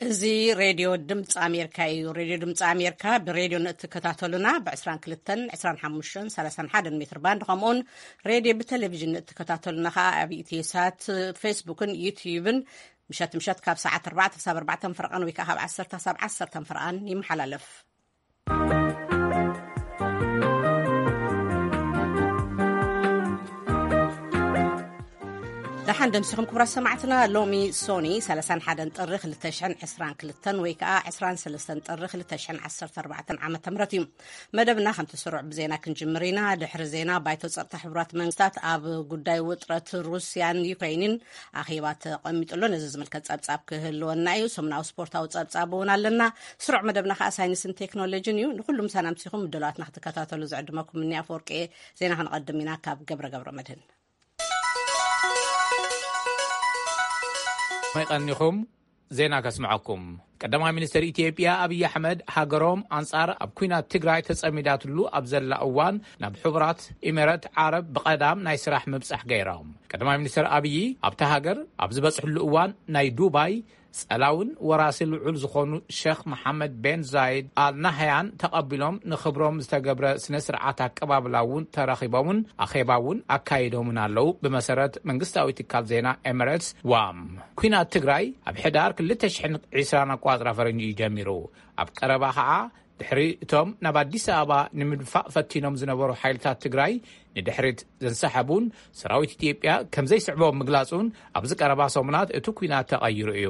እዚ ሬድዮ ድምፂ ኣሜሪካ እዩ። ሬድዮ ድምፂ ኣሜሪካ ብሬድዮ ንእትከታተሉና ብ22፣ 25፣ 31 ሜትር ባንድ፣ ከምኡውን ሬድዮ ብቴሌቪዥን ንእትከታተሉና ከዓ ኣብ ኢትዮሳት፣ ፌስቡክን ዩትዩብን ምሸት ምሸት ካብ ሰዓት ኣርባዕተ ክሳብ ኣርባዕተ ፍርቓን ወይ ከዓ ካብ ዓሰርተ ክሳብ ዓሰርተ ፍርቓን ይመሓላለፍ። ደሓን ደምሲኹም ክቡራት ሰማዕትና። ሎሚ ሶኒ ሰላሳን ሓደን ጥሪ ክልተ ሽሕን ዕስራን ክልተን ወይ ከዓ ዕስራን ሰለስተን ጥሪ ክልተ ሽሕን ዓሰርተ ኣርባዕተን ዓመተ ምህረት እዩ። መደብና ከምቲ ስሩዕ ብዜና ክንጅምር ኢና። ድሕሪ ዜና፣ ባይቶ ጸጥታ ሕቡራት መንግስታት ኣብ ጉዳይ ውጥረት ሩስያን ዩክሬንን ኣኼባ ተቐሚጡሎ። ነዚ ዝምልከት ጸብጻብ ክህልወና እዩ። ሰሙናዊ ስፖርታዊ ጸብጻብ እውን ኣለና። ስሩዕ መደብና ከዓ ሳይንስን ቴክኖሎጂን እዩ። ንኩሉ ምሳና ኣምሲኹም ምድላዋትና ክትከታተሉ ዝዕድመኩም እኒ ኣፈወርቂ። ዜና ክንቐድም ኢና ካብ ገብረ ገብረ መድህን። መይቐኒኹም ዜና ከስምዐኩም። ቀዳማይ ሚኒስትር ኢትዮጵያ ኣብይ ኣሕመድ፣ ሃገሮም ኣንጻር ኣብ ኲናት ትግራይ ተጸሚዳትሉ ኣብ ዘላ እዋን፣ ናብ ሕቡራት ኢሚረት ዓረብ ብቐዳም ናይ ስራሕ ምብጻሕ ገይሮም። ቀዳማይ ሚኒስትር ኣብይ ኣብታ ሃገር ኣብ ዝበጽሕሉ እዋን፣ ናይ ዱባይ ጸላውን ወራሲ ልዑል ዝኾኑ ሸኽ መሓመድ ቤን ዛይድ ኣል ናህያን ተቐቢሎም፣ ንኽብሮም ዝተገብረ ስነ ስርዓት ኣቀባብላ እውን ተረኺቦምን ኣኼባ እውን ኣካይዶምን ኣለዉ። ብመሰረት መንግስታዊ ትካል ዜና ኤምሬትስ ዋም፣ ኲናት ትግራይ ኣብ ሕዳር ክልተ ሽሕን ዕስራን ኣቋጽራ ፈረንጂ እዩ ጀሚሩ። ኣብ ቀረባ ኸዓ፣ ድሕሪ እቶም ናብ ኣዲስ ኣበባ ንምድፋእ ፈቲኖም ዝነበሩ ሓይልታት ትግራይ ንድሕሪት ዘንሰሓቡን፣ ሰራዊት ኢትዮጵያ ከም ዘይስዕቦም ምግላጹን፣ ኣብዚ ቀረባ ሰሙናት እቲ ኲናት ተቐይሩ እዩ።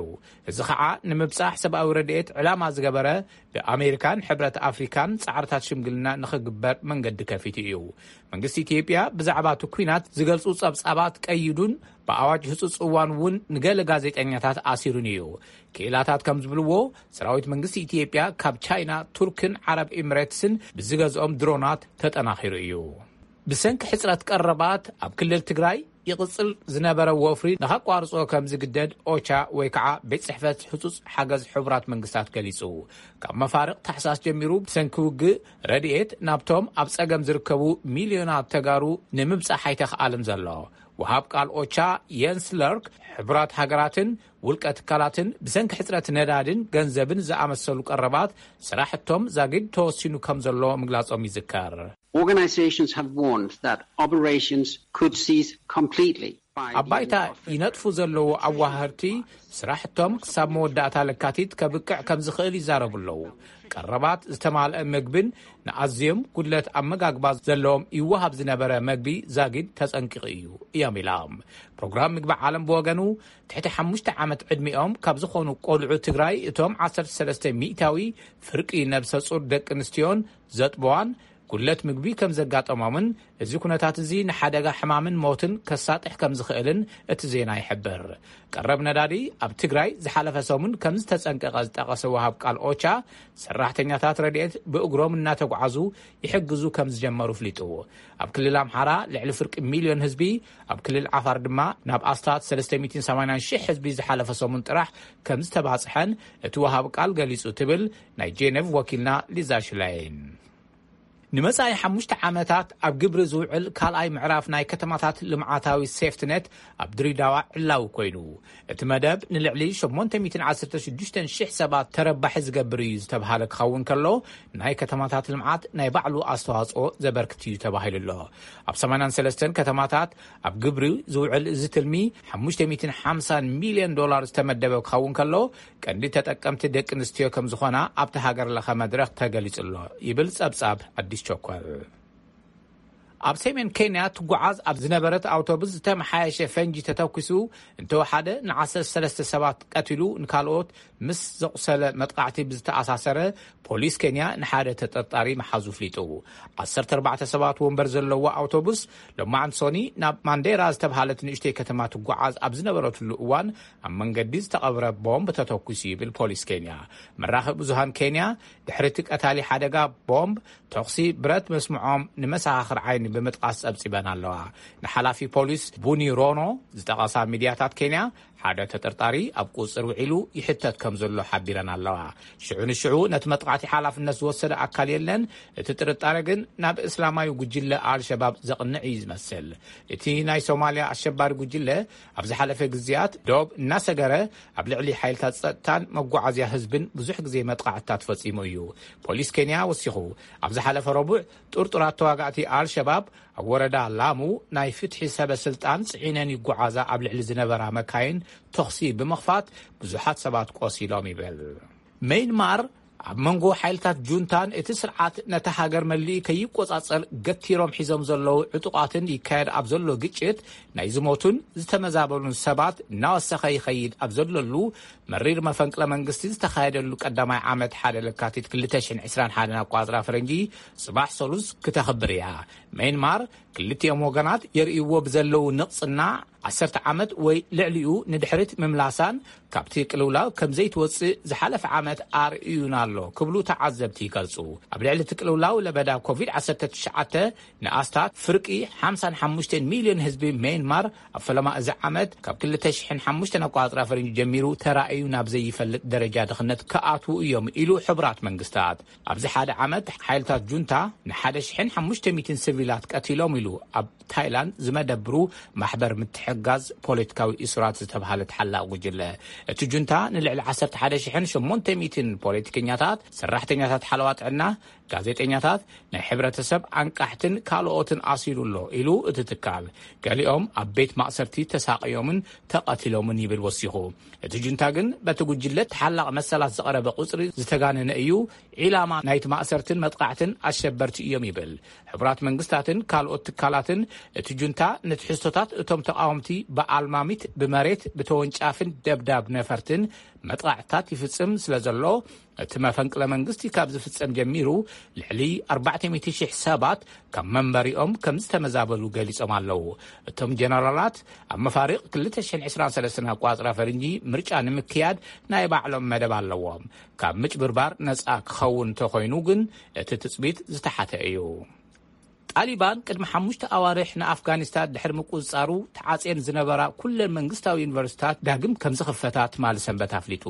እዚ ኸዓ፣ ንምብጻሕ ሰብኣዊ ረድኤት ዕላማ ዝገበረ፣ ብኣሜሪካን ሕብረት ኣፍሪካን ጻዕርታት ሽምግልና ንኽግበር መንገዲ ከፊቱ እዩ። መንግስቲ ኢትዮጵያ ብዛዕባ እቲ ኲናት ዝገልጹ ጸብጻባት ቀይዱን፣ ብኣዋጅ ህጹጽ እዋን እውን ንገለ ጋዜጠኛታት ኣሲሩን እዩ። ክኢላታት ከም ዝብልዎ፣ ሰራዊት መንግስቲ ኢትዮጵያ ካብ ቻይና፣ ቱርክን ዓረብ ኤምሬትስን ብዝገዝኦም ድሮናት ተጠናኺሩ እዩ። ብሰንኪ ሕጽረት ቀረባት ኣብ ክልል ትግራይ ይቕጽል ዝነበረ ወፍሪ ንኸቋርጾ ከም ዝግደድ ኦቻ ወይ ከዓ ቤት ጽሕፈት ህጹጽ ሓገዝ ሕቡራት መንግስታት ገሊጹ። ካብ መፋርቕ ታሕሳስ ጀሚሩ ብሰንኪ ውግእ ረድኤት ናብቶም ኣብ ጸገም ዝርከቡ ሚልዮናት ተጋሩ ንምብጻሕ ኣይተኽኣልን ዘሎ። ወሃብ ቃል ኦቻ የንስ ለርክ፣ ሕቡራት ሃገራትን ውልቀ ትካላትን ብሰንኪ ሕጽረት ነዳድን ገንዘብን ዝኣመሰሉ ቀረባት ስራሕቶም ዛጊድ ተወሲኑ ከም ዘሎ ምግላጾም ይዝከር። Organizations have warned that operations could cease completely by the end of February. ኣብ ባይታ ይነጥፉ ዘለዉ ኣዋሃርቲ፣ ስራሕቶም ክሳብ መወዳእታ ለካቲት ከብቅዕ ከም ዝኽእል ይዛረቡ ኣለዉ። ቀረባት ዝተማልአ መግብን ንኣዝዮም ጉድለት ኣመጋግባ ዘለዎም ይወሃብ ዝነበረ መግቢ ዛጊድ ተጸንቂቑ እዩ፣ እዮም ኢሎም። ፕሮግራም ምግቢ ዓለም ብወገኑ፣ ትሕቲ ሓሙሽተ ዓመት ዕድሚኦም ካብ ዝኾኑ ቆልዑ ትግራይ፣ እቶም ዓሰርተ ሰለስተ ሚእታዊ ፍርቂ ነብሰ ጹር ደቂ ኣንስትዮን ዘጥበዋን፣ ጉድለት ምግቢ ከም ዘጋጠሞምን፣ እዚ ኩነታት እዚ ንሓደጋ ሕማምን ሞትን ከሳጥሕ ከም ዝኽእልን እቲ ዜና ይሕብር። ቀረብ ነዳዲ ኣብ ትግራይ ዝሓለፈ ሰሙን ከም ዝተጸንቀቐ ዝጠቐሰ ወሃብ ቃል ኦቻ፣ ሰራሕተኛታት ረድኤት ብእግሮም እናተጓዓዙ ይሕግዙ ከም ዝጀመሩ ኣፍሊጡ። ኣብ ክልል ኣምሓራ ልዕሊ ፍርቂ ሚልዮን ህዝቢ፣ ኣብ ክልል ዓፋር ድማ ናብ ኣስታት ሰለስተ ሚእትን ሰማንያን ሽሕ ህዝቢ ዝሓለፈ ሰሙን ጥራሕ ከም ዝተባጽሐን እቲ ወሃብ ቃል ገሊጹ፣ ትብል ናይ ጄኔቭ ወኪልና ሊዛ ሽላይን። ንመጻኢ ሓሙሽተ ዓመታት ኣብ ግብሪ ዝውዕል ካልኣይ ምዕራፍ ናይ ከተማታት ልምዓታዊ ሴፍትኔት ኣብ ድሬዳዋ ዕላዊ ኮይኑ፣ እቲ መደብ ንልዕሊ ሸሞንተ ሚእትን ዓሰርተ ሽዱሽተን ሽሕ ሰባት ተረባሒ ዝገብር እዩ ዝተብሃለ ክኸውን ከሎ፣ ናይ ከተማታት ልምዓት ናይ ባዕሉ ኣስተዋጽኦ ዘበርክት እዩ ተባሂሉ ኣሎ። ኣብ ሰማንያን ሰለስተን ከተማታት ኣብ ግብሪ ዝውዕል እዚ ትልሚ፣ ሓሙሽተ ሚእትን ሓምሳን ሚልዮን ዶላር ዝተመደበ ክኸውን ከሎ፣ ቀንዲ ተጠቀምቲ ደቂ ኣንስትዮ ከም ዝኾና ኣብቲ ሃገር ለኸ መድረኽ ተገሊጹ ኣሎ፣ ይብል ጸብጻብ ኣዲስ ቸኮል። ኣብ ሰሜን ኬንያ ትጓዓዝ ኣብ ዝነበረት ኣውቶቡስ ዝተመሓየሸ ፈንጂ ተተኲሱ፣ እንተወሓደ ንዓሰርተ ሰለስተ ሰባት ቀቲሉ፣ ንካልኦት ምስ ዘቑሰለ መጥቃዕቲ ብዝተኣሳሰረ፣ ፖሊስ ኬንያ ንሓደ ተጠርጣሪ ምሓዙ ኣፍሊጡ። ዓሰርተ ኣርባዕተ ሰባት ወንበር ዘለዎ ኣውቶቡስ፣ ሎማዕንቲ ሶኒ ናብ ማንዴራ ዝተብሃለት ንእሽተይ ከተማ ትጓዓዝ ኣብ ዝነበረትሉ እዋን፣ ኣብ መንገዲ ዝተቐብረ ቦምብ ተተኲሱ፣ ይብል ፖሊስ ኬንያ። መራኸቢ ብዙሃን ኬንያ፣ ድሕሪ እቲ ቀታሊ ሓደጋ ቦምብ፣ ተኹሲ ብረት መስምዖም ንመሰኻኽር ዓይኒ ብምጥቃስ ጸብጺበን ኣለዋ። ንሓላፊ ፖሊስ ቡኒ ሮኖ ዝጠቐሳ ሚድያታት ኬንያ፣ ሓደ ተጠርጣሪ ኣብ ቁጽር ውዒሉ ይሕተት ከም ዘሎ ሓቢረን ኣለዋ። ሽዑ ንሽዑ ነቲ መጥቓዕቲ ሓላፍነት ዝወሰደ ኣካል የለን። እቲ ጥርጣረ ግን ናብ እስላማዊ ጉጅለ ኣልሸባብ ዘቕንዕ እዩ ዝመስል። እቲ ናይ ሶማልያ ኣሸባሪ ጉጅለ ኣብ ዝሓለፈ ግዜያት ዶብ እናሰገረ ኣብ ልዕሊ ሓይልታት ጸጥታን መጓዓዝያ ህዝብን ብዙሕ ግዜ መጥቓዕትታት ፈጺሙ እዩ። ፖሊስ ኬንያ ወሲኹ፣ ኣብ ዝሓለፈ ረቡዕ ጥርጡራት ተዋጋእቲ ኣልሸባብ ኣብ ወረዳ ላሙ ናይ ፍትሒ ሰበ ስልጣን ጽዒነን ይጓዓዛ ኣብ ልዕሊ ዝነበራ መካይን ተኹሲ ብምኽፋት ብዙሓት ሰባት ቆሲሎም ይብል። ሜይንማር ኣብ መንጎ ሓይልታት ጁንታን እቲ ስርዓት ነታ ሃገር መሊኡ ከይቆጻጸር ገቲሮም ሒዞም ዘለዉ ዕጡቓትን ይካየድ ኣብ ዘሎ ግጭት ናይ ዝሞቱን ዝተመዛበሉን ሰባት እናወሰኸ ይኸይድ ኣብ ዘለሉ መሪር መፈንቅለ መንግስቲ ዝተኻየደሉ ቀዳማይ ዓመት ሓደ ለካቲት ክልተ ሽሕን ዕስራን ሓደን ኣቋጽራ ፈረንጂ ጽባሕ ሰሉስ ክተኽብር እያ። ሜይንማር ክልቲኦም ወገናት የርእይዎ ብዘለዉ ንቕጽና ዓሰርተ ዓመት ወይ ልዕሊኡ ንድሕሪት ምምላሳን ካብቲ ቅልውላው ከም ዘይትወጽእ ዝሓለፈ ዓመት ኣርእዩና ኣሎ ክብሉ ተዓዘብቲ ይገልጹ። ኣብ ልዕሊ እቲ ቅልውላው ለበዳ ኮቪድ ዓሰርተ ትሽዓተ ንኣስታት ፍርቂ ሓምሳን ሓሙሽተን ሚልዮን ህዝቢ ሜይንማር ኣብ ፈለማ እዚ ዓመት ካብ ክልተ ሽሕን ሓሙሽተን ኣቋጽራ ፈረንጂ ጀሚሩ ተራእዩ ናብ ዘይፈልጥ ደረጃ ድኽነት ክኣትዉ እዮም ኢሉ ሕቡራት መንግስታት። ኣብዚ ሓደ ዓመት ሓይልታት ጁንታ ንሓደ ሽሕን ሓሙሽተ ሚእትን ሲቪላት ቀቲሎም ኢሉ ኣብ ታይላንድ ዝመደብሩ ማሕበር ምትሕጋዝ ፖለቲካዊ እሱራት ዝተባህለ ተሓላቒ ጉጅለ። እቲ ጁንታ ንልዕሊ ዓሰርተ ሓደ ሽሕን ሸሞንተ ሚእትን ፖለቲከኛታት፣ ሰራሕተኛታት ሓለዋ ጥዕና፣ ጋዜጠኛታት፣ ናይ ሕብረተሰብ ኣንቃሕትን ካልኦትን ኣሲሩ ኣሎ ኢሉ እቲ ትካል፣ ገሊኦም ኣብ ቤት ማእሰርቲ ተሳቕዮምን ተቐቲሎምን ይብል ወሲኹ። እቲ ጁንታ ግን በቲ ጉጅለ ተሓላቒ መሰላት ዝቐረበ ቁጽሪ ዝተጋነነ እዩ፣ ዒላማ ናይቲ ማእሰርትን መጥቃዕትን ኣሸበርቲ እዮም ይብል። ሕቡራት መንግስታትን ካልኦት ትካላትን እቲ ጁንታ ንትሕዝቶታት እቶም ተቃወምቲ ብኣልማሚት፣ ብመሬት፣ ብተወንጫፍን ደብዳብ ነፈርትን መጥቃዕትታት ይፍጽም ስለ ዘሎ፣ እቲ መፈንቅለ መንግስቲ ካብ ዝፍጸም ጀሚሩ ልዕሊ ኣርባዕተ ሚእቲ ሽሕ ሰባት ካብ መንበሪኦም ከም ዝተመዛበሉ ገሊጾም ኣለዉ። እቶም ጀነራላት ኣብ መፋሪቕ ክልተ ሽሕን ዕስራን ሰለስተን ኣቋጽራ ፈርንጂ ምርጫ ንምክያድ ናይ ባዕሎም መደብ ኣለዎም። ካብ ምጭብርባር ነጻ ክኸውን እንተኾይኑ ግን እቲ ትጽቢት ዝተሓተ እዩ። ጣሊባን ቅድሚ ሓሙሽተ ኣዋርሕ ንኣፍጋኒስታን ድሕሪ ምቁጽጻሩ ተዓጽየን ዝነበራ ኩለን መንግስታዊ ዩኒቨርሲታት ዳግም ከም ዝኽፈታ ትማሊ ሰንበት ኣፍሊጡ።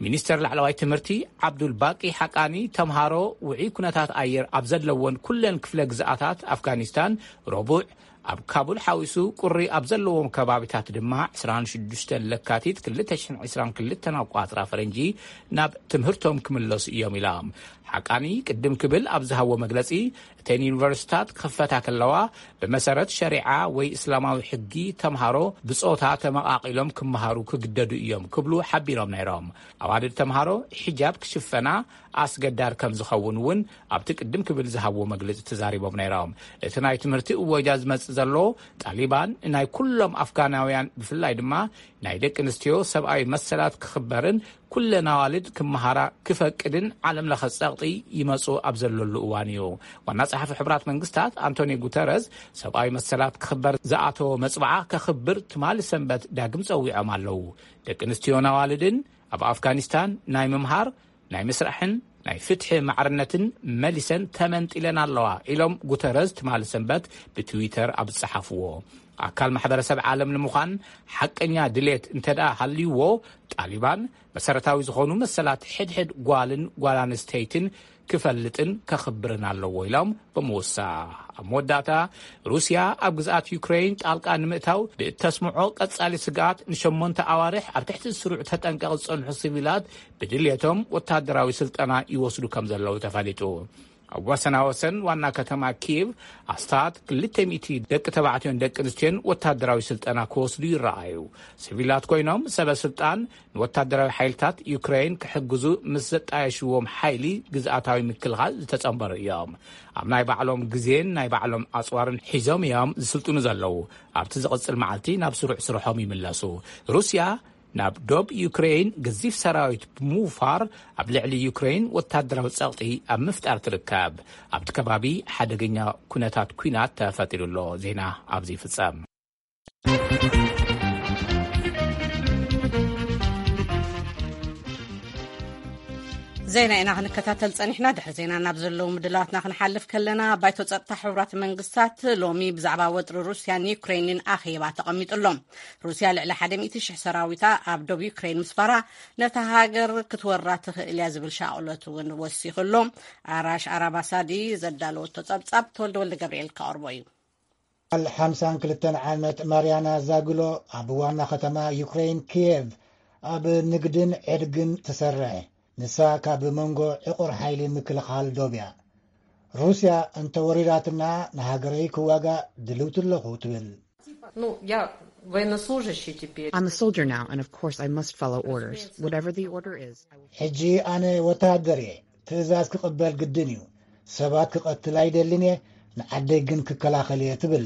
ሚኒስተር ላዕለዋይ ትምህርቲ ዓብዱል ባቂ ሓቃኒ፣ ተምሃሮ ውዑይ ኩነታት ኣየር ኣብ ዘለወን ኩለን ክፍለ ግዝኣታት ኣፍጋኒስታን ረቡዕ፣ ኣብ ካቡል ሓዊሱ ቁሪ ኣብ ዘለዎም ከባቢታት ድማ ዕስራን ሽዱሽተን ለካቲት ክልተ ሽሕን ዕስራን ክልተን ኣቋጽራ ፈረንጂ ናብ ትምህርቶም ክምለሱ እዮም ኢሎም። ሓቃኒ ቅድም ክብል ኣብ ዝሃቦ መግለጺ፣ እተን ዩኒቨርሲታት ክኸፈታ ከለዋ፣ ብመሰረት ሸሪዓ ወይ እስላማዊ ሕጊ ተምሃሮ ብጾታ ተመቓቒሎም ክመሃሩ ክግደዱ እዮም ክብሉ ሓቢሮም ነይሮም። ኣዋልድ ተምሃሮ ሒጃብ ክሽፈና ኣስገዳድ ከም ዝኸውን እውን ኣብቲ ቅድም ክብል ዝሃብዎ መግለጺ ተዛሪቦም ነይሮም። እቲ ናይ ትምህርቲ እወጃ ዝመጽእ ዘሎ፣ ጣሊባን ናይ ኩሎም ኣፍጋናውያን፣ ብፍላይ ድማ ናይ ደቂ ኣንስትዮ ሰብኣዊ መሰላት ክኽበርን ኩለን ኣዋልድ ክመሃራ ክፈቅድን ዓለም ለኸ ጸቕጢ ይመጹ ኣብ ዘለሉ እዋን እዩ። ዋና ጸሓፊ ሕቡራት መንግስታት ኣንቶኒ ጉተረዝ፣ ሰብኣዊ መሰላት ክኽበር ዝኣተዎ መጽብዓ ከኽብር ትማሊ ሰንበት ዳግም ጸዊዖም ኣለዉ። ደቂ ኣንስትዮን ኣዋልድን ኣብ ኣፍጋኒስታን ናይ ምምሃር፣ ናይ ምስራሕን ናይ ፍትሒ ማዕርነትን መሊሰን ተመንጢለን ኣለዋ ኢሎም ጉተረዝ ትማሊ ሰንበት ብትዊተር ኣብ ዝጸሓፍዎ። ኣካል ማሕበረሰብ ዓለም ንምዃን ሓቀኛ ድሌት እንተ ደኣ ሃልይዎ፣ ጣሊባን መሰረታዊ ዝኾኑ መሰላት ሕድሕድ ጓልን ጓል ኣንስተይትን ክፈልጥን ከኽብርን ኣለዎ ኢሎም ብምውሳኽ። ኣብ መወዳእታ፣ ሩስያ ኣብ ግዝኣት ዩክሬን ጣልቃ ንምእታው ብእተስምዖ ቀጻሊ ስግኣት፣ ንሸሞንተ ኣዋርሕ ኣብ ትሕቲ ስሩዕ ተጠንቀቕ ዝጸንሑ ሲቪላት ብድልየቶም ወታደራዊ ስልጠና ይወስዱ ከም ዘለዉ ተፈሊጡ። ኣብ ወሰናወሰን ዋና ከተማ ኪየቭ ኣስታት ክልተ ሚእቲ ደቂ ተባዕትዮን ደቂ ኣንስትዮን ወታደራዊ ስልጠና ክወስዱ ይረኣዩ። ሲቪላት ኮይኖም፣ ሰበ ስልጣን ንወታደራዊ ሓይልታት ዩክሬን ክሕግዙ ምስ ዘጣየሽዎም ሓይሊ ግዝኣታዊ ምክልኻል ዝተጸንበሩ እዮም። ኣብ ናይ ባዕሎም ግዜን ናይ ባዕሎም ኣጽዋርን ሒዞም እዮም ዝስልጥኑ ዘለዉ። ኣብቲ ዝቕጽል መዓልቲ ናብ ስሩዕ ስርሖም ይምለሱ። ሩስያ ናብ ዶብ ዩክሬን ገዚፍ ሰራዊት ብምውፋር ኣብ ልዕሊ ዩክሬን ወታደራዊ ጸቕጢ ኣብ ምፍጣር ትርከብ። ኣብቲ ከባቢ ሓደገኛ ኩነታት ኲናት ተፈጢሩ ኣሎ። ዜና ኣብዚ ይፍጸም። ዜና ኢና ክንከታተል ጸኒሕና። ድሕሪ ዜና ናብ ዘለዉ ምድላዋትና ክንሓልፍ ከለና፣ ባይቶ ጸጥታ ሕቡራት መንግስታት ሎሚ ብዛዕባ ወጥሪ ሩስያን ዩክሬንን ኣኼባ ተቐሚጡ ኣሎ። ሩስያ ልዕሊ ሓደ ሚእቲ ሽሕ ሰራዊታ ኣብ ዶብ ዩክሬን ምስፋራ፣ ነታ ሃገር ክትወራ ትኽእል እያ ዝብል ሻቕሎት እውን ወሲኹ ኣሎ። ኣራሽ ኣራባሳዲ ዘዳለወቶ ጸብጻብ፣ ተወልደ ወልደ ገብርኤል ከቕርቦ እዩ። ጓል ሓምሳን ክልተን ዓመት ማርያና ዛግሎ ኣብ ዋና ከተማ ዩክሬን ኪየቭ ኣብ ንግድን ዕድግን ትሰርሕ። ንሳ ካብ መንጎ ዕቑር ሓይሊ ምክልኻል ዶብ እያ። ሩስያ እንተወሪራትና ንሃገረይ ክዋጋእ ድልውቲ ኣለኹ ትብል። Ну, я военнослужащий теперь. I'm a soldier now, and of course I must follow orders. Whatever the order is, I will. ሕጂ ኣነ ወተሃደር እየ። ትእዛዝ ክቕበል ግድን እዩ። ሰባት ክቐትል ኣይደልን እየ። ንዓደይ ግን ክከላኸል እየ ትብል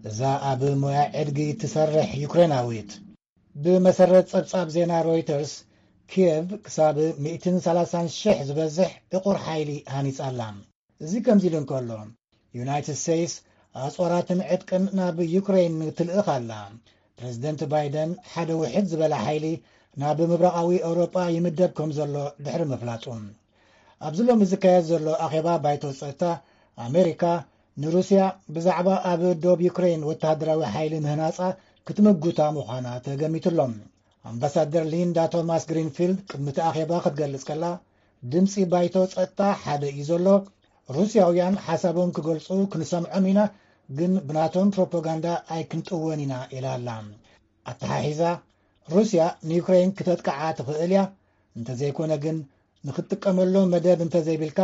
እዛ ኣብ ሞያ ዕድጊ ትሰርሕ ዩክሬናዊት። ብመሰረት ጸብጻብ ዜና ሮይተርስ፣ ኪየቭ ክሳብ ሚእትን ሰላሳን ሽሕ ዝበዝሕ ዕቑር ሓይሊ ሃኒጻ ኣላ። እዚ ከምዚ ኢሉ እንከሎ፣ ዩናይትድ ስቴትስ ኣጽዋራትን ዕጥቅን ናብ ዩክሬን ትልእኽ ኣላ። ፕረዚደንት ባይደን ሓደ ውሕድ ዝበለ ሓይሊ ናብ ምብራቓዊ ኤውሮጳ ይምደብ ከም ዘሎ ድሕሪ ምፍላጡ፣ ኣብዚ ሎሚ ዝካየድ ዘሎ ኣኼባ ባይቶ ጸጥታ፣ ኣሜሪካ ንሩስያ ብዛዕባ ኣብ ዶብ ዩክሬን ወተሃደራዊ ሓይሊ ምህናጻ ክትምጉታ ምዃና ተገሚቱ ኣሎ። ኣምባሳደር ሊንዳ ቶማስ ግሪንፊልድ ቅድሚ እቲ ኣኼባ ክትገልጽ ከላ፣ ድምጺ ባይቶ ጸጥታ ሓደ እዩ ዘሎ። ሩስያውያን ሓሳቦም ክገልጹ ክንሰምዖም ኢና፣ ግን ብናቶም ፕሮፓጋንዳ ኣይክንጥወን ኢና ኢላ ኣላ። ኣተሓሒዛ፣ ሩስያ ንዩክሬን ክተጥቅዓ ትኽእል እያ፣ እንተዘይኮነ ግን ንኽትጥቀመሎም መደብ እንተዘይብልካ፣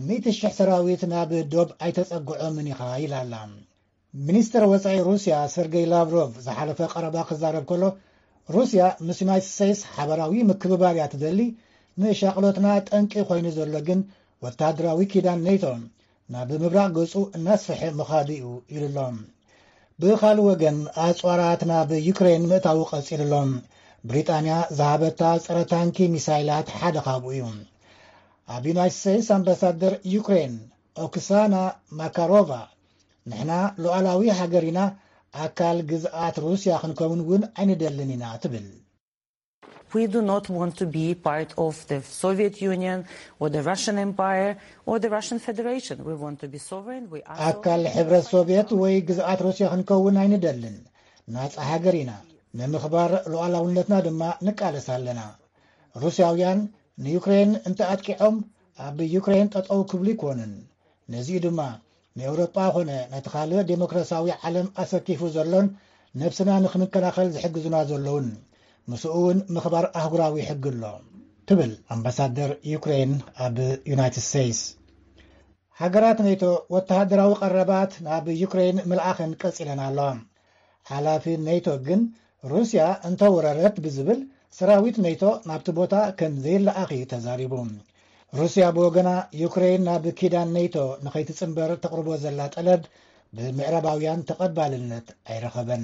ሚእቲ ሽሕ ሰራዊት ናብ ዶብ ኣይተጸግዖምን ኢኻ ኢላ ኣላ። ሚኒስተር ወጻኢ ሩስያ ሰርጌይ ላቭሮቭ ዝሓለፈ ቀረባ ክዛረብ ከሎ፣ ሩስያ ምስ ዩናይትድ ስቴትስ ሓበራዊ ምክብባር እያ ትደሊ፣ ንሻቕሎትና ጠንቂ ኮይኑ ዘሎ ግን ወተሃደራዊ ኪዳን ኔቶ ናብ ምብራቕ ገጹ እናስፍሐ ምኻዱ እዩ ኢሉ ኣሎ። ብኻልእ ወገን፣ ኣጽዋራት ናብ ዩክሬን ምእታዉ ቀጺሉ ኣሎ። ብሪጣንያ ዝሃበታ ጸረ ታንኪ ሚሳይላት ሓደ ካብኡ እዩ። ኣብ ዩናይትድ ስቴትስ ኣምባሳደር ዩክሬን ኦክሳና ማካሮቫ፣ ንሕና ሉዓላዊ ሃገር ኢና፣ ኣካል ግዝኣት ሩስያ ክንከውን እውን ኣይንደልን ኢና ትብል። We do not want to be part of the Soviet Union or the Russian Empire or the Russian Federation. We want to be sovereign. We are ኣካል ሕብረት ሶቪየት ወይ ግዝኣት ሩስያ ክንከውን ኣይንደልን። ናጻ ሃገር ኢና። ንምኽባር ሉዓላውነትና ድማ ንቃለስ ኣለና። ሩስያውያን ንዩክሬን እንተኣጥቂዖም ኣብ ዩክሬን ጠጠው ክብሉ ኣይኮኑን። ነዚኡ ድማ ንኤውሮጳ ኾነ ነቲ ካልእ ዴሞክራሲያዊ ዓለም ኣሰኪፉ ዘሎን ነብስና ንኽንከላኸል ዝሕግዙና ዘለውን ምስኡ እውን ምኽባር ኣህጉራዊ ሕጊ ኣሎ ትብል ኣምባሳደር ዩክሬን ኣብ ዩናይትድ ስቴትስ። ሃገራት ኔቶ ወተሃደራዊ ቀረባት ናብ ዩክሬን ምልኣኸን ቀጺለን ኣለዋ። ሓላፊ ኔቶ ግን ሩስያ እንተወረረት ብዝብል ሰራዊት ኔቶ ናብቲ ቦታ ከም ዘይለኣኽ እዩ ተዛሪቡ። ሩስያ ብወገና ዩክሬን ናብ ኪዳን ኔቶ ንኸይትጽንበር ተቕርቦ ዘላ ጠለብ ብምዕራባውያን ተቐባልነት ኣይረኸበን።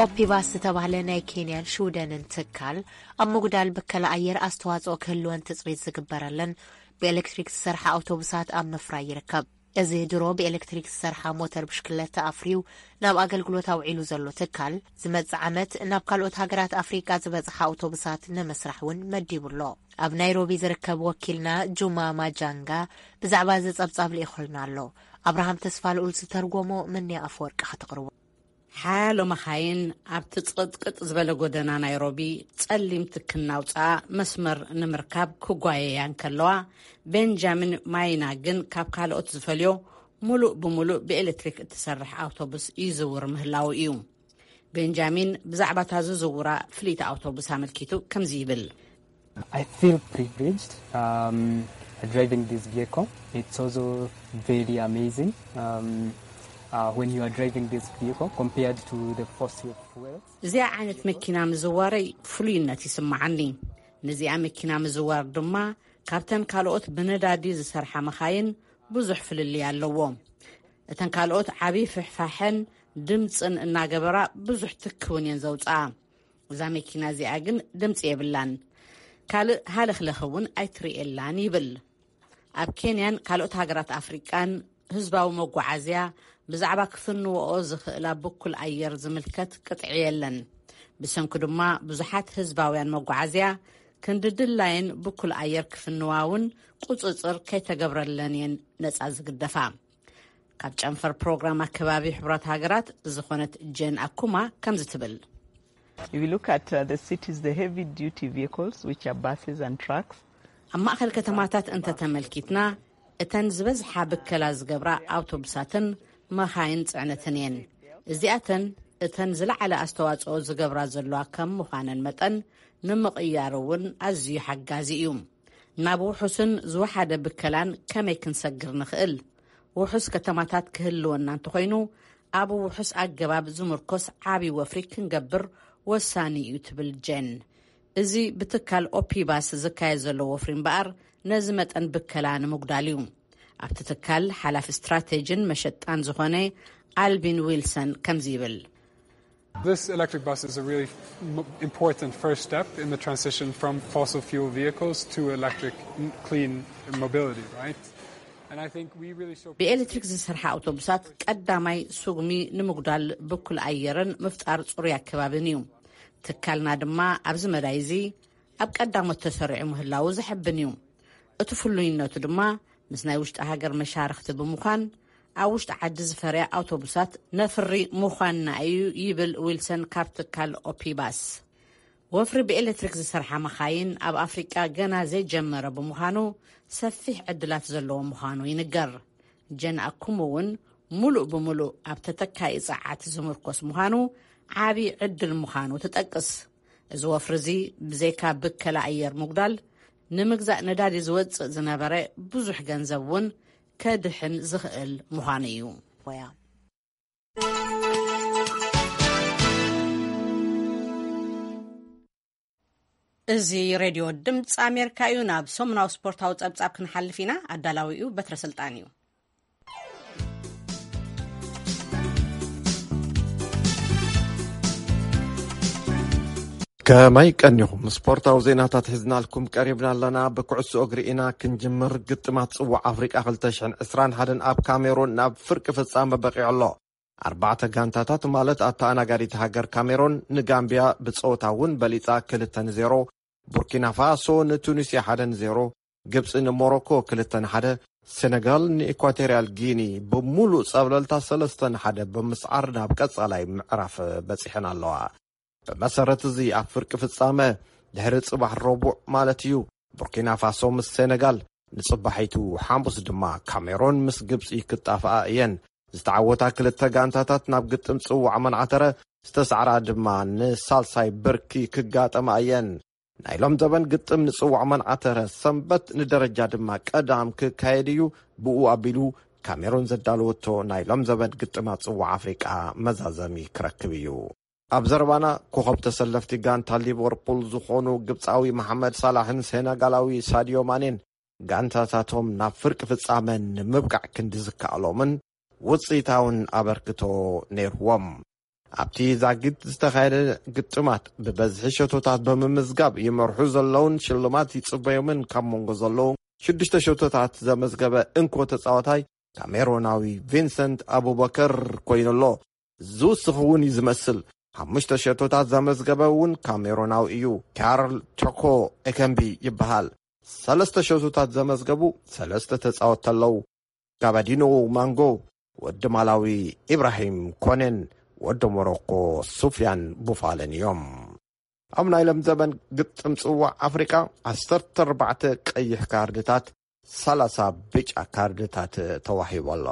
ኦፒባስ ዝተባህለ ናይ ኬንያን ሽውደንን ትካል ኣብ ምጉዳል ብከላ ኣየር ኣስተዋጽኦ ክህልወን ትጽቢት ዝግበረለን ብኤሌክትሪክ ዝሰርሓ ኣውቶቡሳት ኣብ ምፍራይ ይርከብ። እዚ ድሮ ብኤሌክትሪክ ዝሰርሓ ሞተር ብሽክለታ ኣፍርዩ ናብ ኣገልግሎት ኣውዒሉ ዘሎ ትካል፣ ዝመጽእ ዓመት ናብ ካልኦት ሃገራት ኣፍሪቃ ዝበጽሓ ኣውቶቡሳት ንምስራሕ እውን መዲቡ ኣሎ። ኣብ ናይሮቢ ዝርከብ ወኪልና ጁማ ማጃንጋ ብዛዕባ እዚ ጸብጻብ ልኢኹልና ኣሎ። ኣብርሃም ተስፋልኡል ዝተርጎሞ መንያ ኣፈወርቂ ከተቕርቦ። ሓያሎ መኻይን ኣብቲ ጽቕጥቅጥ ዝበለ ጎደና ናይሮቢ ጸሊም ትኪ እናውጽኣ መስመር ንምርካብ ክጓየያ እንከለዋ፣ ቤንጃሚን ማይና ግን ካብ ካልኦት ዝፈልዮ፣ ሙሉእ ብሙሉእ ብኤሌክትሪክ እትሰርሕ ኣውቶቡስ ይዝውር ምህላዉ እዩ። ቤንጃሚን ብዛዕባ እታ ዝዝውራ ፍልይቲ ኣውቶቡስ ኣመልኪቱ ከምዚ ይብል። I feel privileged um, driving this vehicle. It's also very amazing um, uh, when you are driving this vehicle compared to the fossil fuels. እዚኣ ዓይነት መኪና ምዝዋረይ ፍሉይነት ይስምዓኒ። ነዚኣ መኪና ምዝዋር ድማ ካብተን ካልኦት ብነዳዲ ዝሰርሓ መኻይን ብዙሕ ፍልልይ ኣለዎ። እተን ካልኦት ዓቢ ፍሕፋሕን ድምጽን እናገበራ ብዙሕ ትኪ እውን እየን ዘውጽኣ። እዛ መኪና እዚኣ ግን ድምጺ የብላን። ካልእ ሃለኽለኽ እውን ኣይትርእየላን ይብል። ኣብ ኬንያን ካልኦት ሃገራት ኣፍሪቃን ህዝባዊ መጓዓዝያ ብዛዕባ ክፍንወኦ ዝኽእላ ብኩል ኣየር ዝምልከት ቅጥዒ የለን። ብሰንኩ ድማ ብዙሓት ህዝባውያን መጓዓዝያ ክንዲ ድላየን ብኩል ኣየር ክፍንዋ እውን ቁጽጽር ከይተገብረለን እየን ነጻ ዝግደፋ። ካብ ጨንፈር ፕሮግራም ኣከባቢ ሕቡራት ሃገራት ዝኾነት ጄን ኣኩማ ከምዚ ትብል። If you look at uh, the cities, the heavy duty vehicles, which are buses and trucks, ኣብ ማእከል ከተማታት እንተተመልኪትና፣ እተን ዝበዝሓ ብከላ ዝገብራ ኣውቶቡሳትን መኻይን ጽዕነትን እየን። እዚኣተን እተን ዝለዓለ ኣስተዋጽኦ ዝገብራ ዘለዋ ከም ምዃነን መጠን፣ ንምቕያር እውን ኣዝዩ ሓጋዚ እዩ። ናብ ውሑስን ዝወሓደ ብከላን ከመይ ክንሰግር ንኽእል? ውሑስ ከተማታት ክህልወና እንተኾይኑ፣ ኣብ ውሑስ ኣገባብ ዝምርኮስ ዓቢ ወፍሪ ክንገብር ወሳኒ እዩ ትብል ጄን። እዚ ብትካል ኦፒባስ ዝካየድ ዘሎ ወፍሪ እምበኣር፣ ነዚ መጠን ብከላ ንምጉዳል እዩ። ኣብቲ ትካል ሓላፊ ስትራቴጂን መሸጣን ዝኾነ ኣልቢን ዊልሰን ከምዚ ይብል። This electric bus is a really m- important first step in the transition from fossil fuel vehicles to electric, n- clean mobility, right? And I think we really show ብኤሌክትሪክ ዝሰርሓ ኣውቶቡሳት ቀዳማይ ስጉሚ ንምጉዳል ብኩል ኣየርን ምፍጣር ጽሩይ ኣከባብን እዩ። ትካልና ድማ ኣብዚ መዳይ እዚ ኣብ ቀዳሞት ተሰሪዑ ምህላዉ ዘሐብን እዩ። እቲ ፍሉይነቱ ድማ ምስ ናይ ውሽጢ ሃገር መሻርኽቲ ብምዃን ኣብ ውሽጢ ዓዲ ዝፈርያ ኣውቶቡሳት ነፍሪ ምዃንና እዩ ይብል ዊልሰን ካብ ትካል ኦፒባስ። ወፍሪ ብኤሌክትሪክ ዝሰርሓ መኻይን ኣብ ኣፍሪቃ ገና ዘይጀመረ ብምዃኑ ሰፊሕ ዕድላት ዘለዎ ምዃኑ ይንገር። ጀን ኣኩም እውን ሙሉእ ብሙሉእ ኣብ ተተካኢ ጸዓት ዝምርኮስ ምዃኑ ዓቢ ዕድል ምዃኑ ትጠቅስ። እዚ ወፍሪ እዚ ብዘይካ ብከላ ኣየር ምጉዳል ንምግዛእ ነዳዲ ዝወጽእ ዝነበረ ብዙሕ ገንዘብ እውን ከድሕን ዝኽእል ምዃኑ እዩ። እዚ ሬድዮ ድምፂ ኣሜሪካ እዩ። ናብ ሰሙናዊ ስፖርታዊ ጸብጻብ ክንሓልፍ ኢና። ኣዳላዊኡ በትረ ስልጣን እዩ። ከመይ ቀኒኹም? ስፖርታዊ ዜናታት ሒዝናልኩም ቀሪብና ኣለና። ብኩዕሶ እግሪ ኢና ክንጅምር። ግጥማት ጽዋዕ ኣፍሪቃ ክልተ ሽሕን ዕስራን ሓደን ኣብ ካሜሩን ናብ ፍርቂ ፍጻመ በቂዑ ኣሎ። ኣርባዕተ ጋንታታት ማለት ኣተኣናጋዲት ሃገር ካሜሮን ንጋምቢያ ብጸወታ እውን በሊጻ ክልተ ንዜሮ፣ ቡርኪና ፋሶ ንቱኒስያ ሓደ ንዜሮ፣ ግብጺ ንሞሮኮ ክልተ ንሓደ፣ ሴነጋል ንኢኳቶርያል ጊኒ ብምሉእ ጸብለልታ ሰለስተ ንሓደ ብምስዓር ናብ ቀጻላይ ምዕራፍ በጺሐን ኣለዋ። ብመሰረት እዚ ኣብ ፍርቂ ፍጻመ ድሕሪ ጽባሕ ረቡዕ ማለት እዩ ቡርኪና ፋሶ ምስ ሴነጋል ንጽባሒቱ ሓሙስ ድማ ካሜሮን ምስ ግብጺ ክጣፍኣ እየን። ዝተዓወታ ክልተ ጋንታታት ናብ ግጥም ጽዋዕ መንዓተረ ዝተሳዕራ ድማ ንሳልሳይ ብርኪ ክጋጠማ እየን። ናይ ሎም ዘበን ግጥም ንጽዋዕ መንዓተረ ሰንበት ንደረጃ ድማ ቀዳም ክካየድ እዩ። ብኡ ኣቢሉ ካሜሮን ዘዳለወቶ ናይ ሎም ዘበን ግጥማት ጽዋዕ ኣፍሪቃ መዛዘሚ ክረክብ እዩ። ኣብ ዘረባና ኮኸብ ተሰለፍቲ ጋንታ ሊቨርፑል ዝኾኑ ግብጻዊ መሓመድ ሳላሕን ሴነጋላዊ ሳድዮ ማኔን ጋንታታቶም ናብ ፍርቂ ፍጻመ ንምብቃዕ ክንዲ ዝከኣሎምን ውጽኢታውን ኣበርክቶ ነይርዎም። ኣብቲ ዛጊት ዝተኻየደ ግጥማት ብበዝሒ ሸቶታት ብምምዝጋብ ይመርሑ ዘለውን ሽልማት ይጽበዮምን ካብ መንጎ ዘለዉ ሽዱሽተ ሸቶታት ዘመዝገበ እንኮ ተጻዋታይ ካሜሮናዊ ቪንሰንት ኣቡበከር ኮይኑ ኣሎ። ዝውስኽ እውን እዩ ዝመስል። ሓሙሽተ ሸቶታት ዘመዝገበ እውን ካሜሮናዊ እዩ። ካርል ቶኮ ኤከምቢ ይበሃል። ሰለስተ ሸቶታት ዘመዝገቡ ሰለስተ ተጻወትቲ ኣለዉ። ጋባዲኖ ማንጎ፣ ወዲ ማላዊ ኢብራሂም ኮኔን ወዲ ሞሮኮ ሱፍያን ቡፋለን እዮም። ኣብ ናይ ሎም ዘበን ግጥም ጽዋዕ ኣፍሪቃ ዓሰርተ ኣርባዕተ ቀይሕ ካርድታት፣ ሰላሳ ብጫ ካርድታት ተዋሂቡ ኣሎ።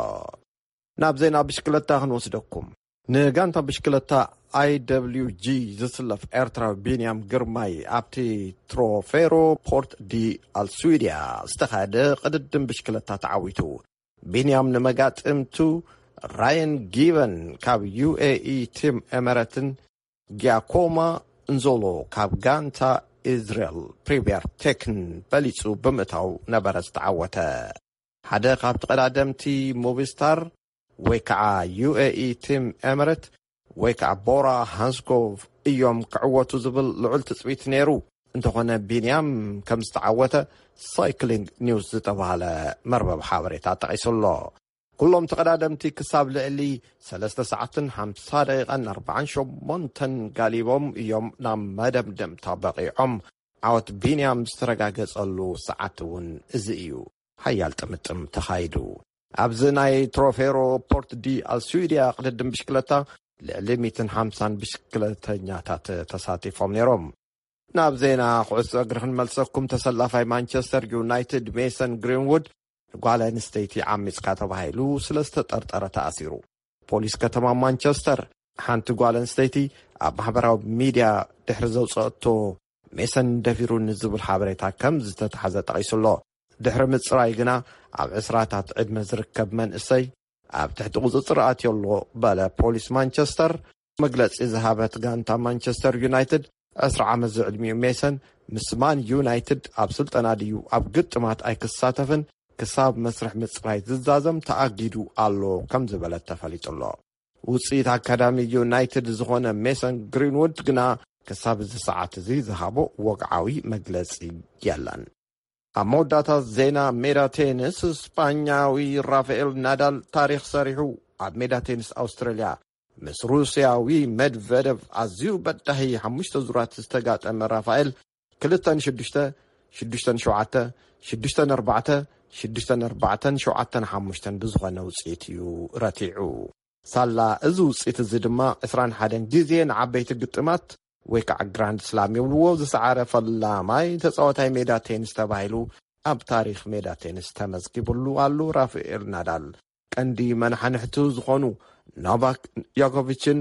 ናብ ዜና ብሽክለታ ክንወስደኩም። ንጋንታ ብሽክለታ ኣይ ደብሊው ጂ ዝስለፍ ኤርትራዊ ቢንያም ግርማይ ኣብቲ ትሮፌሮ ፖርት ዲ ኣልስዊድያ ዝተኻየደ ቅድድም ብሽክለታ ተዓዊቱ። ቢንያም ንመጋጥምቱ ራየን ጊቨን ካብ ዩ ኤ ኢ ቲም ኤመረትን ጊያኮማ እንዞሎ ካብ ጋንታ ኢዝራኤል ፕሪምየር ቴክን በሊጹ ብምእታው ነበረ ዝተዓወተ። ሓደ ካብ ተቐዳደምቲ ሞቪስታር ወይ ከዓ ዩ ኤ ኢ ቲም ኤመረት ወይ ከዓ ቦራ ሃንስኮቭ እዮም ክዕወቱ ዝብል ልዑል ትጽቢት ነይሩ። እንተኾነ ቢንያም ከም ዝተዓወተ ሳይክሊንግ ኒውስ ዝተባህለ መርበብ ሓበሬታ ጠቒሱ ኣሎ። ኩሎም ተቐዳደምቲ ክሳብ ልዕሊ ሰለስተ ሰዓትን ሓምሳ ደቂቓን ኣርባዓን ሸሞንተን ጋሊቦም እዮም ናብ መደምደምታ በቒዖም። ዓወት ቢንያም ዝተረጋገጸሉ ሰዓት እውን እዚ እዩ። ሓያል ጥምጥም ተኻይዱ። ኣብዚ ናይ ትሮፌሮ ፖርት ዲ ኣልሱድያ ቅድድም ብሽክለታ ልዕሊ ሚእትን ሓምሳን ብሽክለተኛታት ተሳቲፎም ነይሮም። ናብ ዜና ኩዕሶ እግሪ ክንመልሰኩም። ተሰላፋይ ማንቸስተር ዩናይትድ ሜሰን ግሪንውድ ንጓል ኣንስተይቲ ዓሚጽካ ተባሂሉ ስለ ዝተጠርጠረ ተኣሲሩ። ፖሊስ ከተማ ማንቸስተር ሓንቲ ጓል ኣንስተይቲ ኣብ ማሕበራዊ ሚድያ ድሕሪ ዘውፀአቶ ሜሰን ደፊሩኒ ዝብል ሓበሬታ ከም ዝተታሕዘ ጠቒሱ ኣሎ። ድሕሪ ምፅራይ ግና ኣብ ዕስራታት ዕድመ ዝርከብ መንእሰይ ኣብ ትሕቲ ቁፅፅር ኣትዮ ኣሎ በለ ፖሊስ ማንቸስተር። መግለፂ ዝሃበት ጋንታ ማንቸስተር ዩናይትድ ዕስራ ዓመት ዝዕድሚኡ ሜሰን ምስ ማን ዩናይትድ ኣብ ስልጠና ድዩ ኣብ ግጥማት ኣይክሳተፍን ክሳብ መስርሕ ምፅራይ ዝዛዘም ተኣጊዱ ኣሎ ከም ዝበለት ተፈሊጡ ኣሎ። ውፅኢት ኣካዳሚ ዩናይትድ ዝኾነ ሜሰን ግሪንውድ ግና ክሳብ እዚ ሰዓት እዚ ዝሃቦ ወግዓዊ መግለፂ የለን። ኣብ መወዳእታ ዜና ሜዳ ቴኒስ፣ ስጳኛዊ ራፋኤል ናዳል ታሪኽ ሰሪሑ። ኣብ ሜዳ ቴኒስ ኣውስትራልያ ምስ ሩስያዊ መድቨደቭ ኣዝዩ በዳሂ ሓሙሽተ ዙራት ዝተጋጠመ ራፋኤል ክልተ ንሽዱሽተ፣ ሽዱሽተ ንሸውዓተ፣ ሽዱሽተ ንኣርባዕተ፣ ሽዱሽተ ንኣርባዕተ፣ ሸውዓተ ንሓሙሽተ ብዝኾነ ውፅኢት እዩ ረቲዑ። ሳላ እዚ ውፅኢት እዚ ድማ ዕስራን ሓደን ግዜ ንዓበይቲ ግጥማት ወይ ከዓ ግራንድ ስላም ይብልዎ ዝሰዓረ ፈላማይ ተፃዋታይ ሜዳ ቴኒስ ተባሂሉ ኣብ ታሪኽ ሜዳ ቴኒስ ተመዝጊብሉ ኣሉ። ራፋኤል ናዳል ቀንዲ መናሓንሕቱ ዝኾኑ ኖቫክ ዮኮቪችን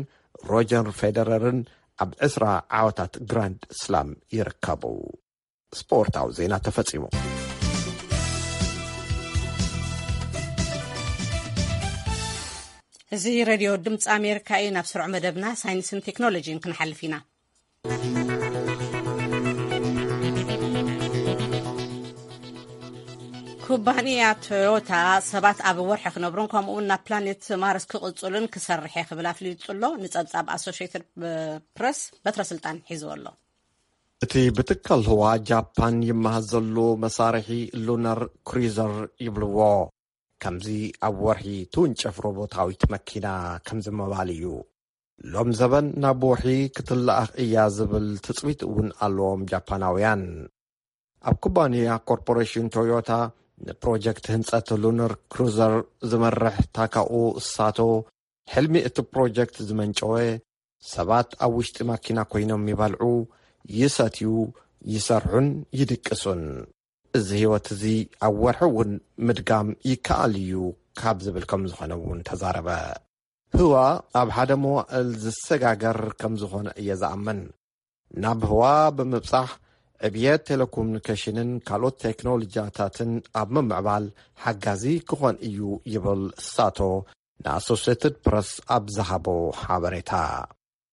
ሮጀር ፌደረርን ኣብ ዕስራ ዓወታት ግራንድ ስላም ይርከቡ። ስፖርታዊ ዜና ተፈጺሙ። እዚ ሬድዮ ድምፂ ኣሜሪካ እዩ። ናብ ስሩዕ መደብና ሳይንስን ቴክኖሎጂን ክንሓልፍ ኢና። ኩባንያ ቶዮታ ሰባት ኣብ ወርሒ ክነብሩን ከምኡውን ናብ ፕላኔት ማርስ ክቕጽሉን ክሰርሕ እየ ክብል ኣፍሊጡ ኣሎ። ንጸብጻብ ኣሶሽየትድ ፕረስ በትረ ስልጣን ሒዝዎ ኣሎ። እቲ ብትካል ህዋ ጃፓን ይመሃዝ ዘሎ መሳርሒ ሉነር ክሩዘር ይብልዎ። ከምዚ ኣብ ወርሒ ትውንጨፍ ሮቦታዊት መኪና ከምዚ ምባል እዩ። ሎም ዘበን ናብ ወርሒ ክትለኣኽ እያ ዝብል ትጽቢት እውን ኣለዎም ጃፓናውያን። ኣብ ኩባንያ ኮርፖሬሽን ቶዮታ ንፕሮጀክት ህንጸት ሉነር ክሩዘር ዝመርሕ ታካኡ ሳቶ፣ ሕልሚ እቲ ፕሮጀክት ዝመንጨወ ሰባት ኣብ ውሽጢ ማኪና ኮይኖም ይበልዑ፣ ይሰትዩ፣ ይሰርሑን ይድቅሱን። እዚ ህይወት እዚ ኣብ ወርሒ እውን ምድጋም ይከኣል እዩ ካብ ዝብል ከም ዝኾነ እውን ተዛረበ። ህዋ ኣብ ሓደ መዋእል ዝሰጋገር ከም ዝኾነ እየ ዝኣምን። ናብ ህዋ ብምብጻሕ ዕብየት ቴሌኮሙኒኬሽንን ካልኦት ቴክኖሎጂያታትን ኣብ ምምዕባል ሓጋዚ ክኾን እዩ ይብል ሳቶ ንኣሶሴትድ ፕረስ ኣብ ዝሃቦ ሓበሬታ።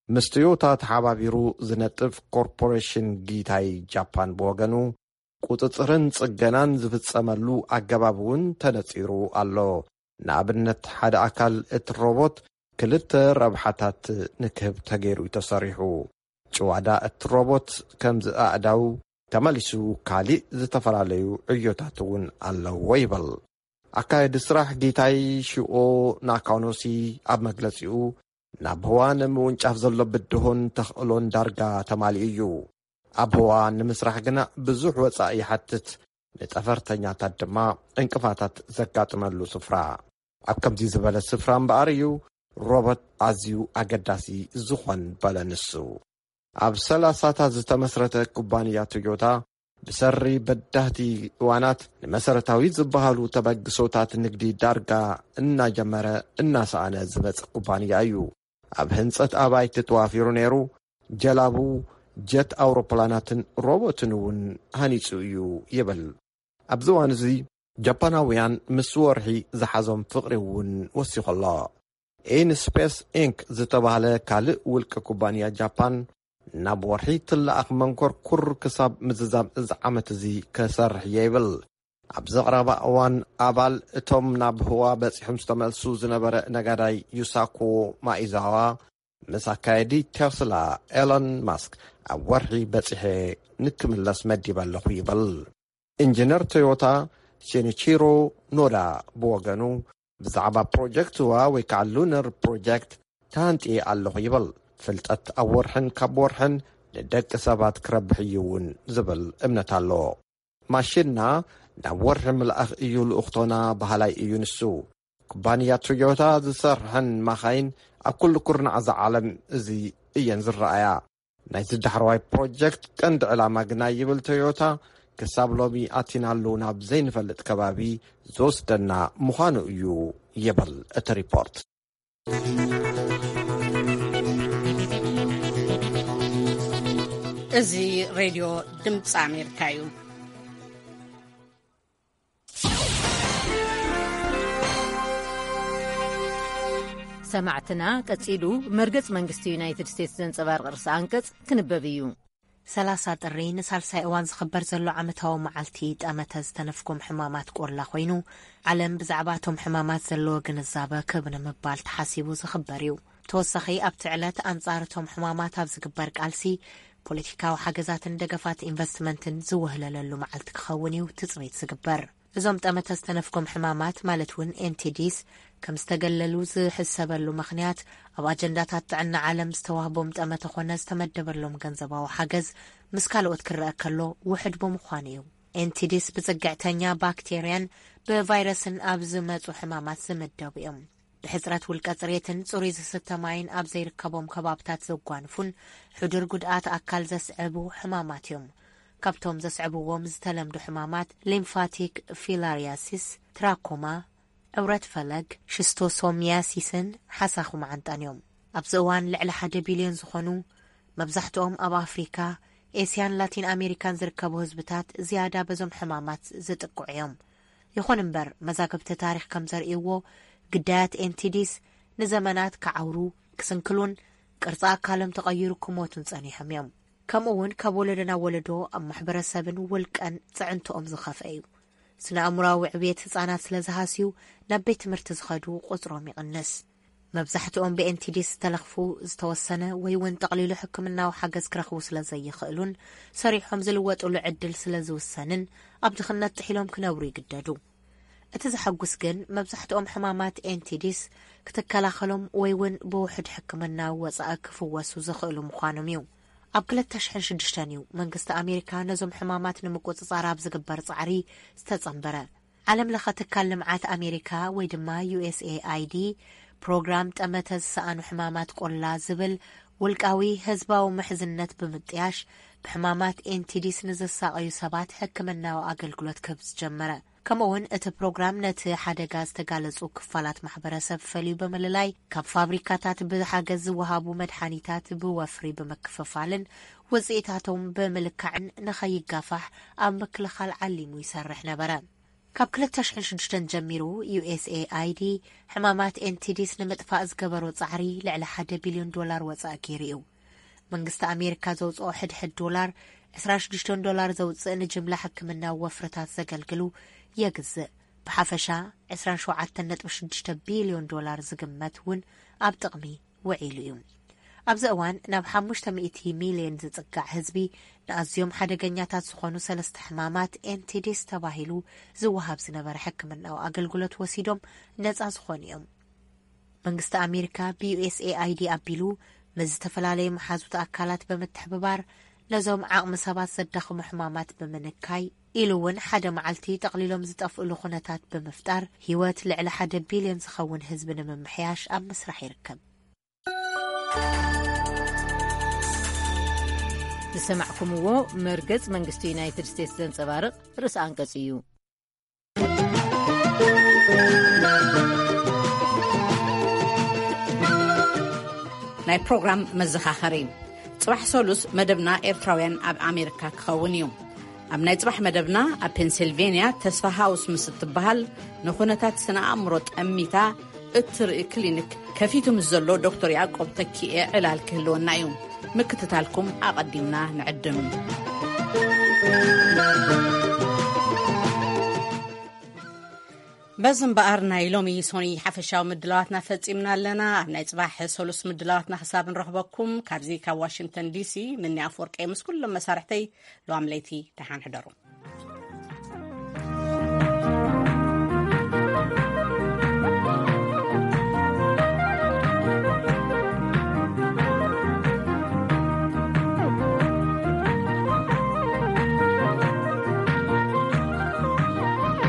ምስ ቶዮታ ተሓባቢሩ ዝነጥፍ ኮርፖሬሽን ጊታይ ጃፓን ብወገኑ ቁጽጽርን ጽገናን ዝፍጸመሉ ኣገባብ እውን ተነጺሩ ኣሎ። ንኣብነት ሓደ ኣካል እቲ ሮቦት ክልተ ረብሓታት ንክህብ ተገይሩ እዩ ተሰሪሑ። ጭዋዳ እቲ ሮቦት ከምዚ ኣእዳው ተመሊሱ ካሊእ ዝተፈላለዩ ዕዮታት እውን ኣለዎ ይብል። ኣካየዲ ስራሕ ጊታይ ሽኦ ናካኖሲ ኣብ መግለጺኡ ናብ ህዋ ንምውንጫፍ ዘሎ ብድሆን ተኽእሎን ዳርጋ ተማሊኡ እዩ። ኣብ ህዋ ንምስራሕ ግና ብዙሕ ወጻኢ ይሓትት፣ ንጠፈርተኛታት ድማ ዕንቅፋታት ዘጋጥመሉ ስፍራ። ኣብ ከምዚ ዝበለ ስፍራ እምበኣር እዩ ሮቦት ኣዝዩ ኣገዳሲ ዝኾን በለ ንሱ። ኣብ ሰላሳታት ዝተመስረተ ኩባንያ ቶዮታ ብሰሪ በዳህቲ እዋናት ንመሰረታዊ ዝበሃሉ ተበግሶታት ንግዲ ዳርጋ እናጀመረ እናሰኣነ ዝመጽእ ኩባንያ እዩ። ኣብ ህንጸት ኣባይቲ ተዋፊሩ ነይሩ። ጀላቡ፣ ጀት ኣውሮፕላናትን ሮቦትን እውን ሃኒጹ እዩ ይብል። ኣብዚ እዋን እዚ ጃፓናውያን ምስ ወርሒ ዝሓዞም ፍቕሪ እውን ወሲኹ ኣሎ። ኢንስፔስ ኢንክ ዝተባህለ ካልእ ውልቀ ኩባንያ ጃፓን ናብ ወርሒ ትለኣኽ መንኮርኩር ክሳብ ምዝዛም እዚ ዓመት እዚ ክሰርሕ እየ ይብል። ኣብዚ ቀረባ እዋን ኣባል እቶም ናብ ህዋ በጺሖም ዝተመልሱ ዝነበረ ነጋዳይ ዩሳኮ ማኢዛዋ ምስ ኣካየዲ ቴስላ ኤሎን ማስክ ኣብ ወርሒ በጺሐ ንክምለስ መዲበ ኣለኹ ይብል። ኢንጂነር ቶዮታ ሴኒቺሮ ኖዳ ብወገኑ፣ ብዛዕባ ፕሮጀክትዋ ወይ ከዓ ሉነር ፕሮጀክት ተሃንጥየ ኣለኹ ይብል። ፍልጠት ኣብ ወርሕን ካብ ወርሕን ንደቂ ሰባት ክረብሕ እዩ እውን ዝብል እምነት ኣለዎ። ማሽንና ናብ ወርሒ ምልኣኽ እዩ ልኡኽቶና በሃላይ እዩ ንሱ። ኩባንያ ቶዮታ ዝሰርሐን ማኻይን ኣብ ኩሉ ኩርናዕ እዛ ዓለም እዚ እየን ዝረኣያ። ናይዚ ዳሕረዋይ ፕሮጀክት ቀንዲ ዕላማ ግና ይብል ቶዮታ፣ ክሳብ ሎሚ ኣቲናሉ ናብ ዘይንፈልጥ ከባቢ ዝወስደና ምዃኑ እዩ ይብል እቲ ሪፖርት። እዚ ሬድዮ ድምፂ ኣሜሪካ እዩ። ሰማዕትና፣ ቀጺሉ መርገጽ መንግስቲ ዩናይትድ ስቴትስ ዘንጸባርቕ ርእሰ ኣንቀጽ ክንበብ እዩ። ሰላሳ ጥሪ ንሳልሳይ እዋን ዝኽበር ዘሎ ዓመታዊ መዓልቲ ጠመተ ዝተነፍጎም ሕማማት ቆላ ኮይኑ፣ ዓለም ብዛዕባ እቶም ሕማማት ዘለዎ ግንዛበ ክብ ንምባል ተሓሲቡ ዝኽበር እዩ። ተወሳኺ ኣብቲ ዕለት ኣንጻር እቶም ሕማማት ኣብ ዝግበር ቃልሲ፣ ፖለቲካዊ ሓገዛትን ደገፋት ኢንቨስትመንትን ዝውህለለሉ መዓልቲ ክኸውን እዩ ትጽቢት ዝግበር። እዞም ጠመተ ዝተነፍጎም ሕማማት ማለት እውን ኤንቲዲስ ከም ዝተገለሉ ዝሕሰበሉ ምኽንያት፣ ኣብ ኣጀንዳታት ጥዕና ዓለም ዝተዋህቦም ጠመተ ኮነ ዝተመደበሎም ገንዘባዊ ሓገዝ ምስ ካልኦት ክረአ ከሎ ውሕድ ብምዃኑ እዩ። ኤንቲዲስ ብጽግዕተኛ ባክቴርያን ብቫይረስን ኣብ ዝመጹ ሕማማት ዝምደቡ እዮም። ብሕጽረት ውልቀ ጽሬትን ጽሩይ ዝስተ ማይን ኣብ ዘይርከቦም ከባብታት ዘጓንፉን ሕዱር ጉድኣት ኣካል ዘስዕቡ ሕማማት እዮም። ካብቶም ዘስዕብዎም ዝተለምዱ ሕማማት ሊምፋቲክ ፊላሪያሲስ፣ ትራኮማ፣ ዕውረት ፈለግ፣ ሽስቶሶሚያሲስን ሓሳኹ መዓንጣን እዮም። ኣብዚ እዋን ልዕሊ ሓደ ቢልዮን ዝኾኑ፣ መብዛሕትኦም ኣብ ኣፍሪካ፣ ኤስያን ላቲን ኣሜሪካን ዝርከቡ ህዝብታት ዝያዳ በዞም ሕማማት ዝጥቅዑ እዮም። ይኹን እምበር፣ መዛግብቲ ታሪኽ ከም ዘርእይዎ፣ ግዳያት ኤንቲዲስ ንዘመናት ክዓውሩ፣ ክስንክሉን ቅርጺ ኣካሎም ተቐይሩ ክሞቱን ጸኒሖም እዮም። ከምኡ እውን ካብ ወለዶ ናብ ወለዶ ኣብ ማሕበረሰብን ውልቀን ጽዕንትኦም ዝኸፍአ እዩ። ስነ ኣእምሮኣዊ ዕብየት ህጻናት ስለ ዝሃስዩ፣ ናብ ቤት ትምህርቲ ዝኸዱ ቁጽሮም ይቕንስ። መብዛሕትኦም ብኤንቲዲስ ዝተለኽፉ፣ ዝተወሰነ ወይ እውን ጠቕሊሉ ሕክምናዊ ሓገዝ ክረኽቡ ስለ ዘይኽእሉን ሰሪሖም ዝልወጡሉ ዕድል ስለ ዝውሰንን፣ ኣብ ድኽነት ጥሒሎም ክነብሩ ይግደዱ። እቲ ዘሐጉስ ግን፣ መብዛሕትኦም ሕማማት ኤንቲዲስ ክትከላኸሎም ወይ እውን ብውሑድ ሕክምናዊ ወጻኢ ክፍወሱ ዝኽእሉ ምዃኖም እዩ። ኣብ ክልተ ሽሕን ሽዱሽተን እዩ መንግስቲ ኣሜሪካ ነዞም ሕማማት ንምቁጽጻር ኣብ ዝግበር ጻዕሪ ዝተጸንበረ። ዓለም ለኸ ትካል ልምዓት ኣሜሪካ ወይ ድማ ዩኤስኤኣይዲ፣ ፕሮግራም ጠመተ ዝሰኣኑ ሕማማት ቆላ ዝብል ውልቃዊ ህዝባዊ ምሕዝነት ብምጥያሽ፣ ብሕማማት ኤንቲዲስ ንዝሳቐዩ ሰባት ሕክምናዊ ኣገልግሎት ክህብ ዝጀመረ። ከምኡ እውን እቲ ፕሮግራም ነቲ ሓደጋ ዝተጋለጹ ክፋላት ማሕበረሰብ ፈልዩ ብምልላይ፣ ካብ ፋብሪካታት ብሓገዝ ዝወሃቡ መድሓኒታት ብወፍሪ ብምክፍፋልን ውጽኢታቶም ብምልካዕን ንኸይጋፋሕ ኣብ ምክልኻል ዓሊሙ ይሰርሕ ነበረ። ካብ ክልተ ሽሕን ሽዱሽተን ጀሚሩ፣ ዩኤስኤኣይዲ ሕማማት ኤንቲዲስ ንምጥፋእ ዝገበሮ ጻዕሪ ልዕሊ ሓደ ቢልዮን ዶላር ወጻኢ ገይሩ እዩ። መንግስቲ ኣሜሪካ ዘውጽኦ ሕድሕድ ዶላር፣ ዕስራን ሽዱሽተን ዶላር ዘውጽእ ንጅምላ ሕክምናዊ ወፍርታት ዘገልግሉ የግዝእ። ብሓፈሻ፣ ዕስራን ሸውዓተን ነጥቢ ሽዱሽተ ቢልዮን ዶላር ዝግመት እውን ኣብ ጥቕሚ ውዒሉ እዩ። ኣብዚ እዋን፣ ናብ ሓሙሽተ ሚእቲ ሚልዮን ዝጽጋዕ ህዝቢ ንኣዝዮም ሓደገኛታት ዝኾኑ ሰለስተ ሕማማት ኤንቲዲስ ተባሂሉ ዝወሃብ ዝነበረ ሕክምናዊ ኣገልግሎት ወሲዶም ነጻ ዝኾኑ እዮም። መንግስቲ ኣሜሪካ ብዩኤስኤኣይዲ ኣቢሉ፣ ምስ ዝተፈላለዩ መሓዙት ኣካላት ብምትሕብባር፣ ነዞም ዓቕሚ ሰባት ዘዳኽሙ ሕማማት ብምንካይ፣ ኢሉ እውን ሓደ መዓልቲ ጠቕሊሎም ዝጠፍእሉ ኩነታት ብምፍጣር፣ ህይወት ልዕሊ ሓደ ቢልዮን ዝኸውን ህዝቢ ንምምሕያሽ ኣብ ምስራሕ ይርከብ። ዝሰማዕኩምዎ መርገጽ መንግስቲ ዩናይትድ ስቴትስ ዘንጸባርቕ ርእሲ ኣንቀጽ እዩ። ናይ ፕሮግራም መዘኻኸሪ። ጽባሕ ሰሉስ መደብና ኤርትራውያን ኣብ ኣሜሪካ ክኸውን እዩ። ኣብ ናይ ጽባሕ መደብና፣ ኣብ ፔንሲልቬንያ ተስፋ ሃውስ ምስ እትበሃል ንኹነታት ስነ ኣእምሮ ጠሚታ እትርኢ ክሊኒክ ከፊቱ ምስ ዘሎ ዶክተር ያዕቆብ ተኪኤ ዕላል ክህልወና እዩ። ምክትታልኩም ኣቐዲምና ንዕድም። በዚ እምበኣር ናይ ሎሚ ሶኒ ሓፈሻዊ ምድላዋትና ፈጺምና ኣለና። ኣብ ናይ ጽባሕ ሰሉስ ምድላዋትና ክሳብ ንረኽበኩም ካብዚ ካብ ዋሽንግተን ዲሲ ምኒ ኣፍወርቂ ምስ ኩሎም መሳርሕተይ ሎም ለይቲ ደሓን ሕደሩ።